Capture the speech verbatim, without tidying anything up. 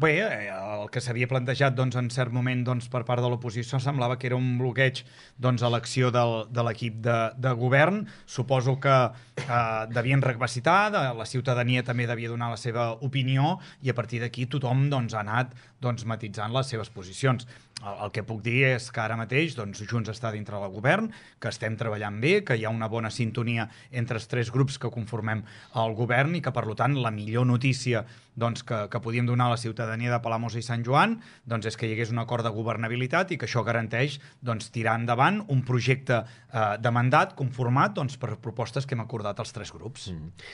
Bé, el que s'havia plantejat doncs, en cert moment doncs, per part de l'oposició semblava que era un bloqueig doncs, a l'acció del, de l'equip de, de govern. Suposo que eh, devien recapacitar, de, la ciutadania també devia donar la seva opinió i a partir d'aquí tothom doncs, ha anat doncs, matitzant les seves posicions. El, el que puc dir és que ara mateix doncs, Junts està dintre del govern, que estem treballant bé, que hi ha una bona sintonia entre els tres grups que conformem el govern i que, per tant, la millor notícia doncs, que, que podíem donar a la ciutadania de Palamós i Sant Joan doncs, és que hi hagués un acord de governabilitat i que això garanteix doncs, tirar endavant un projecte eh, de mandat conformat doncs, per propostes que hem acordat els tres grups. Mm.